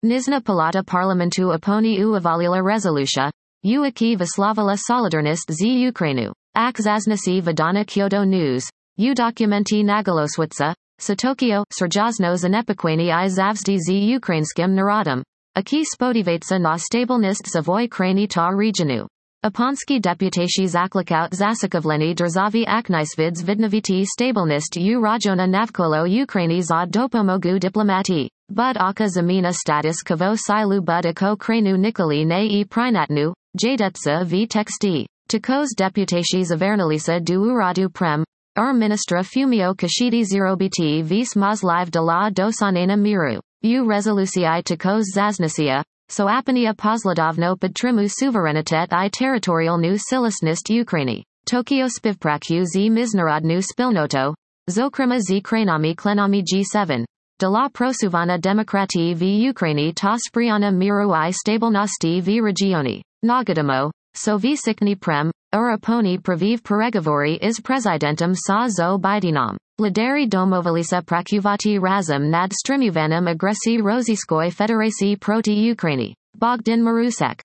Nizhna Palata Parlamentu oponi u avalila resolutia, u aki vyslavila solidarnost z Ukrainu. Ak zaznasi Vidana Kyoto News. U dokumenti nagaloswitsa, sa Tokyo, Serjazno zanepokwani I zavzdi z ukrainskim narodom. Aki spodivается na stabilnost savoy krani ta regionu. Aponski deputacji zaklikaut zasakovleni drzavi aknisvids vidnoviti stabilnost u rajona navkolo Ukraini za dopomogu diplomati. Bud aka zamina status kavo silu bud ako kranu nikoli ne I prinatnu, jadetsa v texti. Takos deputacji zavernalisa du uradu prem. Ministra Fumio Kashidi 0bt vis mazlive de la dosanena miru. U resolucii takos zaznasia. So apania posladovno podtrimu suverenitet I territorialnu silisnist Ukraini. Tokyo spivpraku z miznarodnu spilnoto. Zokrima z kranami klenami G7. De la prosuvana demokrati v Ukraini ta spriana miru I stabilnosti v regioni. Nagadamo. So v sikni prem. Uraponi praviv peregovori is presidentum sa zo bidinam. Lideri domovalisa prakuvati razum nad strimuvanum agressi roziskoi federaci proti Ukraini. Bogdan Marusek.